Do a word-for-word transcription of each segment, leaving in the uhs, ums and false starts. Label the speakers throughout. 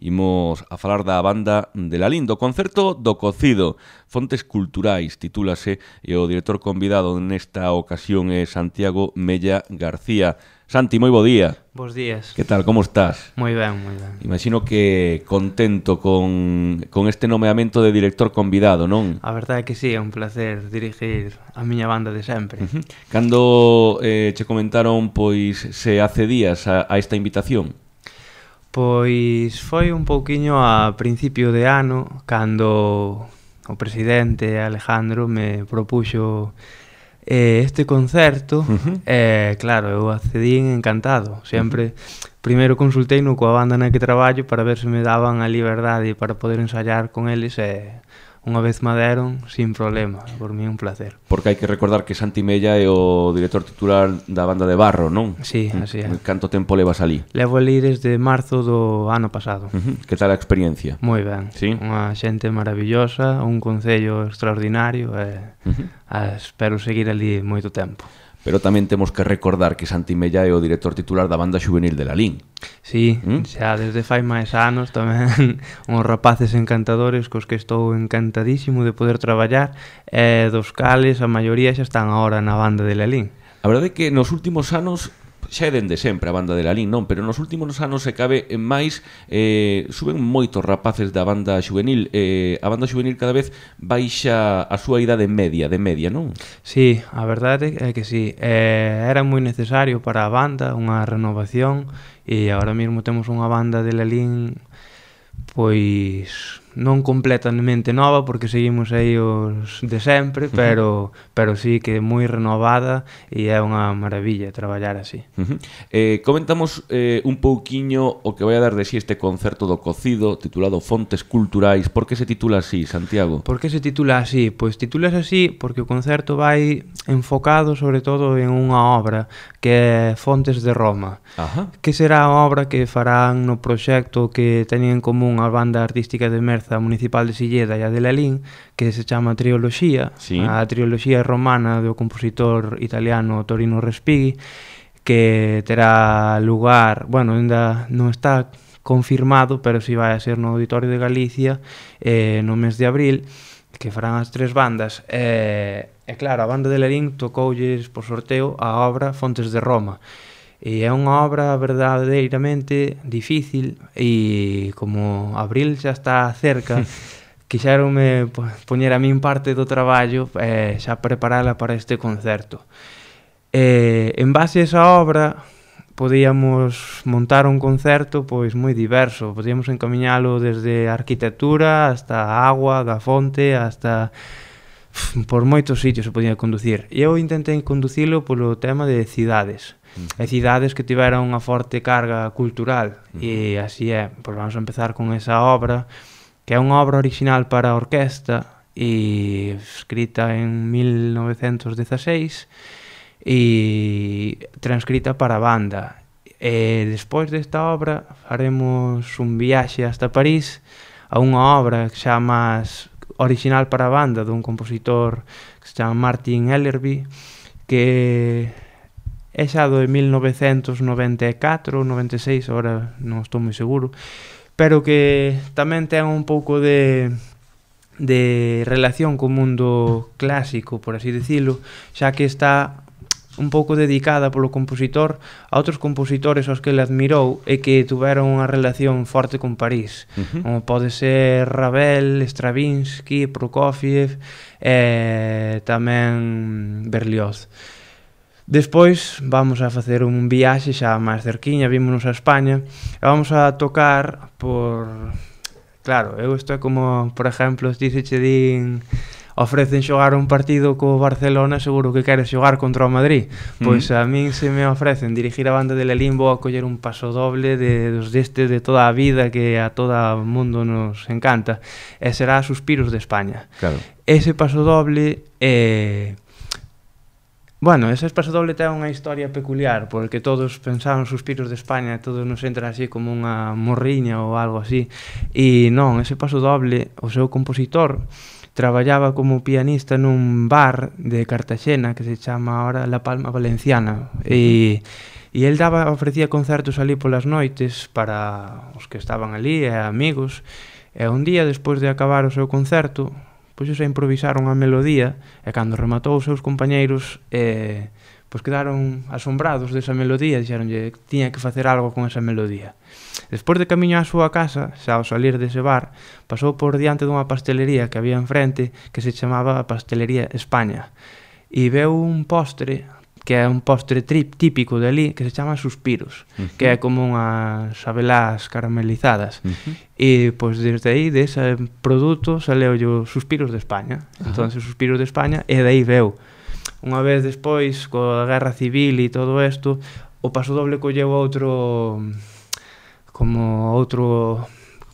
Speaker 1: Imos a falar da banda de Lalín, do concerto do Cocido, Fontes Culturais, titúlase, e o director convidado nesta ocasión é Santiago Mella García. Santi, moi bo día.
Speaker 2: Bos días.
Speaker 1: Que tal, como estás?
Speaker 2: Moi ben, moi ben.
Speaker 1: Imagino que contento con, con este nomeamento de director convidado, non?
Speaker 2: A verdade é que sí, é un placer dirigir a miña banda de sempre.
Speaker 1: Uh-huh. Cando eh, che comentaron, pois, se accedías a, a esta invitación?
Speaker 2: Pois foi un pouquiño a principio de ano, cando o presidente Alejandro me propuxo eh, este concerto. Uh-huh. E, eh, claro, eu accedín encantado. Sempre, uh-huh. primeiro consultei no coa banda na que traballo para ver se me daban a liberdade para poder ensayar con eles e unha vez me deron, sin problema. Por mí un placer.
Speaker 1: Porque hai que recordar que Santi Mella é o director titular da banda de Barro, non?
Speaker 2: Sí, así é.
Speaker 1: Canto tempo levas ali?
Speaker 2: Levo ali desde marzo do ano pasado.
Speaker 1: Uh-huh. Que tal a experiencia?
Speaker 2: Moi ben.
Speaker 1: Sí?
Speaker 2: Unha xente maravillosa, un concello extraordinario e uh-huh. a, espero seguir ali moito tempo.
Speaker 1: Pero tamén temos que recordar que Santi Mella é o director titular da banda juvenil de Lalín.
Speaker 2: Sí, ¿Mm? xa desde fai máis anos tamén uns rapaces encantadores cos que estou encantadísimo de poder traballar e dos cales a maioría xa están agora na banda de Lalín.
Speaker 1: A verdade é que nos últimos anos xa é dende sempre a banda de Lalín, non? Pero nos últimos anos se cabe en máis eh, suben moitos rapaces da banda juvenil eh, a banda juvenil cada vez baixa a súa idade media, de media, non?
Speaker 2: Sí, a verdade é que sí eh, era moi necesario para a banda unha renovación e agora mesmo temos unha banda de Lalín pois non completamente nova porque seguimos aí os de sempre, pero pero sí que moi renovada e é unha maravilla traballar así.
Speaker 1: Uh-huh. Eh, comentamos eh, un pouquiño o que vai a dar de si este concerto do Cocido titulado Fontes Culturais. Por que se titula así, Santiago?
Speaker 2: Por que se titula así? Pois titulas así porque o concerto vai enfocado sobre todo en unha obra que é Fontes de Roma.
Speaker 1: Ajá.
Speaker 2: Que será a obra que farán no proxecto que teñen en común a banda artística de Merza Municipal de Silleda e a de Lalín, que se chama Trioloxía, sí. A trioloxía romana do compositor italiano Torino Respighi, que terá lugar, bueno, ainda non está confirmado, pero si vai a ser no Auditorio de Galicia eh, no mes de abril, que farán as tres bandas. E, e claro, a banda de Lalín tocoulles por sorteo a obra Fontes de Roma. E é unha obra verdadeiramente difícil e como abril xa está cerca quixéronme poñer a min parte do traballo e xa preparala para este concerto. E, en base a esa obra podíamos montar un concerto pois moi diverso, podíamos encamiñalo desde a arquitectura hasta a agua da fonte, hasta por moitos sitios se podía conducir. E eu intentei conducilo polo tema de cidades. Uh-huh. E cidades que tiveran unha forte carga cultural. Uh-huh. E así é, pois vamos a empezar con esa obra, que é unha obra original para a orquesta e escrita en mil novecentos dezaseis e transcrita para a banda. E despois desta obra faremos un viaxe hasta París a unha obra que xa máis original para a banda dun compositor que se chama Martin Ellerby, que é xa do de mil novecentos noventa e catro, noventa e seis, agora non estou moi seguro, pero que tamén ten un pouco de de relación co mundo clásico, por así dicilo, xa que está un pouco dedicada polo compositor a outros compositores aos que ele admirou e que tuveron unha relación forte con París, uh-huh. como pode ser Ravel, Stravinsky, Prokofiev e tamén Berlioz. Despois vamos a facer un viaxe xa máis cerquiña, vímonos a España e vamos a tocar por... Claro, eu isto é como, por exemplo, ti se che din ofrecen xogar un partido co Barcelona, seguro que queres xogar contra o Madrid. Pois a min se me ofrecen dirigir a banda de Lalín, vou a coller un paso doble de, dos deste de toda a vida que a todo o mundo nos encanta e será Suspiros de España.
Speaker 1: Claro.
Speaker 2: Ese paso doble é... Eh, Bueno, ese paso doble ten unha historia peculiar, porque todos pensaban Suspiros de España, todos nos entra así como unha morriña ou algo así, e non, ese paso doble, o seu compositor traballaba como pianista nun bar de Cartaxena que se chama ahora La Palma Valenciana, e, E el daba, ofrecía concertos ali polas noites para os que estaban ali e amigos. E un día, despois de acabar o seu concerto, pois xa improvisaron a melodía, e cando rematou os seus compañeiros, eh, pois quedaron asombrados desa melodía, dixeronlle que tiña que facer algo con esa melodía. Despois de camiño á súa casa, xa ao salir dese bar, pasou por diante dunha pastelería que había enfrente que se chamaba Pastelería España, e veu un postre que é un postre trip típico de ali, que se chama suspiros, uh-huh. que é como unhas abelás caramelizadas. Uh-huh. E, pois, desde aí, dese produto, saleu os suspiros de España. Uh-huh. Entón, os suspiros de España, e de aí veu. Unha vez despois, coa guerra civil e todo isto, o Pasodoble colleu outro... como outro...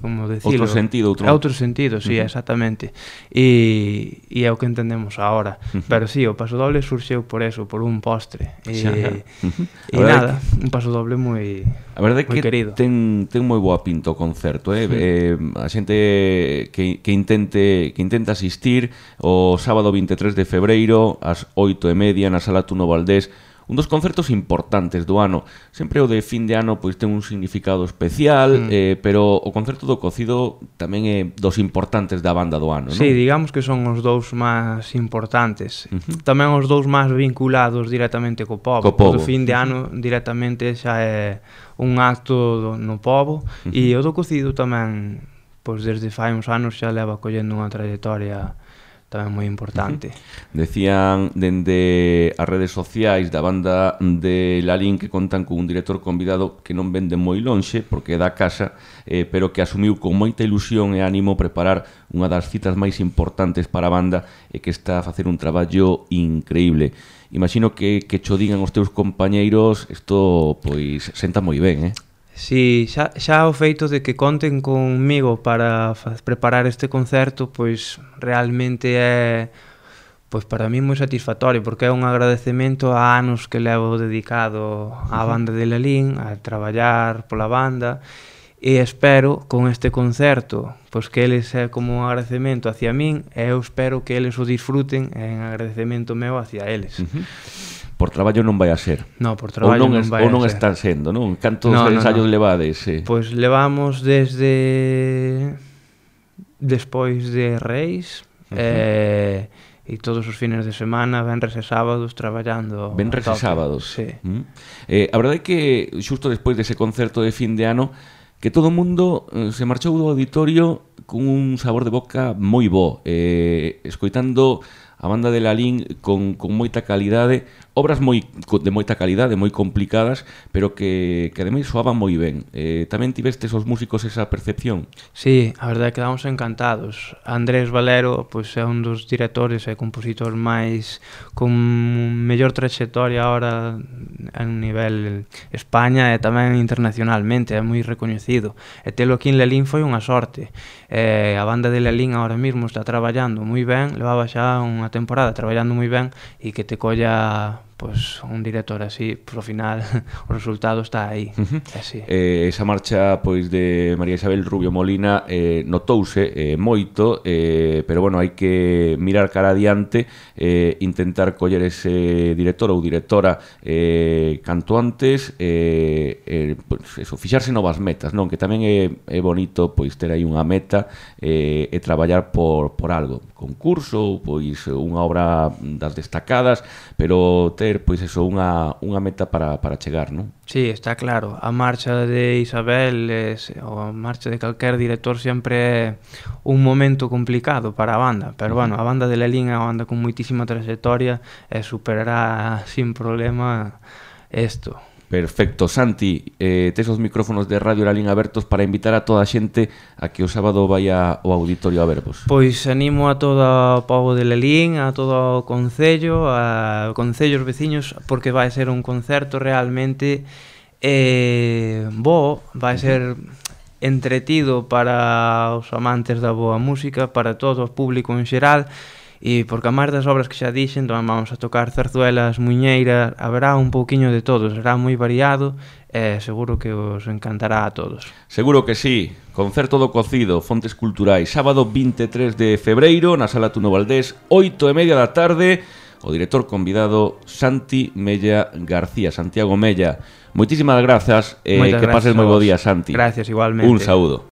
Speaker 2: como decilo,
Speaker 1: outro sentido, outro,
Speaker 2: outro sentido, sí, uh-huh. exactamente. E, e é o que entendemos agora. Uh-huh. Pero sí, o Pasodoble surxeu por eso, por un postre. E, uh-huh. e nada, que... un Pasodoble moi
Speaker 1: a verdade
Speaker 2: moi
Speaker 1: que
Speaker 2: querido.
Speaker 1: Ten, ten moi boa pinta o concerto, eh? Uh-huh. eh a xente que, que intente que intenta asistir o sábado veintitrés de febreiro ás oito e media na Sala Tuno Valdés. Un dos concertos importantes do ano. Sempre o de fin de ano pois ten un significado especial, mm. eh, pero o concerto do Cocido tamén é dos importantes da banda do ano, non?
Speaker 2: Sí, digamos que son os dous máis importantes. Uh-huh. Tamén os dous máis vinculados directamente co pobo. Co pobo. O do fin de ano directamente xa é un acto do, no pobo, uh-huh. e o do Cocido tamén, pois desde fai uns anos xa leva collendo unha trayectoria tamén moi importante.
Speaker 1: Uh-huh. Decían dende as redes sociais da banda de Lalín que contan con un director convidado que non vende moi lonxe, porque é da casa, eh, pero que asumiu con moita ilusión e ánimo preparar unha das citas máis importantes para a banda e que está a facer un traballo increíble. Imagino que, que cho digan os teus compañeiros, isto pois senta moi ben, eh?
Speaker 2: Si, xa, xa o feito de que conten conmigo para preparar este concerto, pois realmente é, pois para mí moi satisfactorio, porque é un agradecemento a anos que levo dedicado á banda de Lalín, a traballar pola banda, e espero con este concerto, pois que eles é como un agradecemento hacia min, e eu espero que eles o disfruten en agradecemento meu hacia eles. Uh-huh.
Speaker 1: Por traballo non vai a ser.
Speaker 2: No, por traballo non,
Speaker 1: non,
Speaker 2: es, vai
Speaker 1: ou non
Speaker 2: a ser.
Speaker 1: están sendo, non? Cantos
Speaker 2: no,
Speaker 1: ensayos
Speaker 2: no, no.
Speaker 1: levades? Eh?
Speaker 2: Pois levamos desde despois de Reis, uh-huh. eh, e todos os fines de semana, venres e sábados, traballando.
Speaker 1: Venres e sábados.
Speaker 2: Sí.
Speaker 1: Uh-huh. Eh, a verdade é que xusto despois dese concerto de fin de ano, que todo o mundo eh, se marchou do auditorio con un sabor de boca moi bo, eh, escoitando a banda de Lalín con, con moita calidade, obras moi de moita calidade, moi complicadas, pero que, que ademais soaban moi ben. Eh, tamén tivestes os músicos esa percepción?
Speaker 2: Sí, a verdade é que quedamos encantados. Andrés Valero pois, é un dos directores e compositores máis con mellor trayectoria ahora a nivel España e tamén internacionalmente, é moi recoñecido. E telo aquí en Lalín foi unha sorte. Eh, a banda de Lalín ahora mesmo está traballando moi ben, levaba xa unha temporada traballando moi ben, e que te colla pois un director así, por ao final o resultado está aí. Uh-huh. Así.
Speaker 1: Eh, esa marcha pois de María Isabel Rubio Molina eh, notouse eh, moito, eh, pero bueno, hai que mirar cara adiante, eh, intentar coller ese director ou directora eh, canto antes, eh, eh, pois eso, fixarse novas metas, non? Que tamén é, é bonito pois ter aí unha meta eh, e traballar por, por algo, concurso, pois unha obra das destacadas, pero ter pois eso, unha, unha meta para, para chegar, non?
Speaker 2: Sí, está claro. A marcha de Isabel es, ou a marcha de calquer director sempre é un momento complicado para a banda, pero bueno, a banda de Lalín é unha banda con moitísima trayectoria e superará sin problema isto.
Speaker 1: Perfecto, Santi, eh, tes os micrófonos de Radio Lalín abertos para invitar a toda a xente a que o sábado vaya ao auditorio a vervos.
Speaker 2: Pois animo a todo o pobo de Lalín, a todo o concello, a concellos veciños, porque vai ser un concerto realmente eh, bo, vai ser entretido para os amantes da boa música, para todo o público en xeral. E porque a máis das obras que xa dixen, tamén vamos a tocar zarzuelas, muiñeiras, haberá un pouquiño de todo, será moi variado e seguro que os encantará a todos.
Speaker 1: Seguro que sí. Concerto do Cocido, Fontes Culturais, sábado veintitrés de febreiro na Sala Tuno Valdés, oito e media da tarde. o director convidado Santi Mella García, Santiago Mella. Moitísimas grazas e eh, que pases moi bo día, Santi.
Speaker 2: Gracias, igualmente.
Speaker 1: Un saúdo.